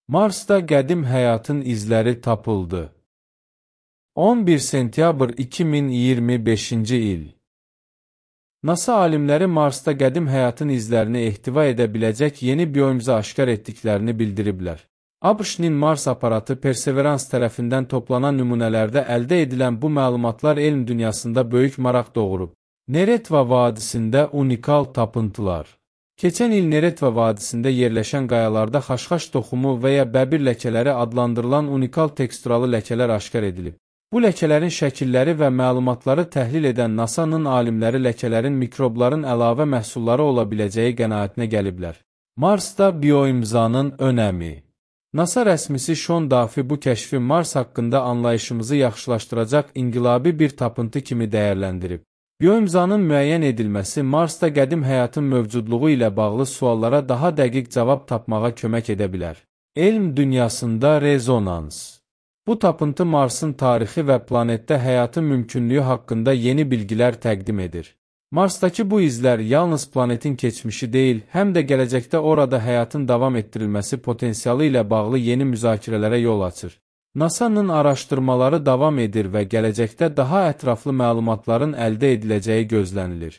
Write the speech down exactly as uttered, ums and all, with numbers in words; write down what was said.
Marsda qədim həyatın izləri tapıldı. on bir sentyabr iki min iyirmi beşinci il. NASA alimləri Marsda qədim həyatın izlərini ehtiva edə biləcək yeni bioimza aşkar etdiklərini bildiriblər. ABŞ-nin Mars aparatı Perseverance tərəfindən toplanan nümunələrdə əldə edilən bu məlumatlar elm dünyasında böyük maraq doğurub. Neretva vadisində unikal tapıntılar. Keçən il Neretva vadisində yerləşən qayalarda xaşxaş toxumu və ya bəbir ləkələri adlandırılan unikal teksturalı ləkələr aşkar edilib. Bu ləkələrin şəkilləri və məlumatları təhlil edən NASA'nın alimləri ləkələrin mikrobların əlavə məhsulları ola biləcəyi qənaətinə gəliblər. Marsda bioimzanın önəmi. NASA rəsmisi Sean Duffy bu kəşfi Mars haqqında anlayışımızı yaxşılaşdıracaq inqilabi bir tapıntı kimi dəyərləndirib. Bioimzanın müəyyən edilməsi Marsda qədim həyatın mövcudluğu ilə bağlı suallara daha dəqiq cavab tapmağa kömək edə bilər. Elm dünyasında rezonans. Bu tapıntı Marsın tarixi və planetdə həyatın mümkünlüyü haqqında yeni bilgilər təqdim edir. Marsdakı bu izlər yalnız planetin keçmişi deyil, həm də gələcəkdə orada həyatın davam etdirilməsi potensialı ilə bağlı yeni müzakirələrə yol açır. NASA'nın araşdırmaları davam edir və gələcəkdə daha ətraflı məlumatların əldə ediləcəyi gözlənilir.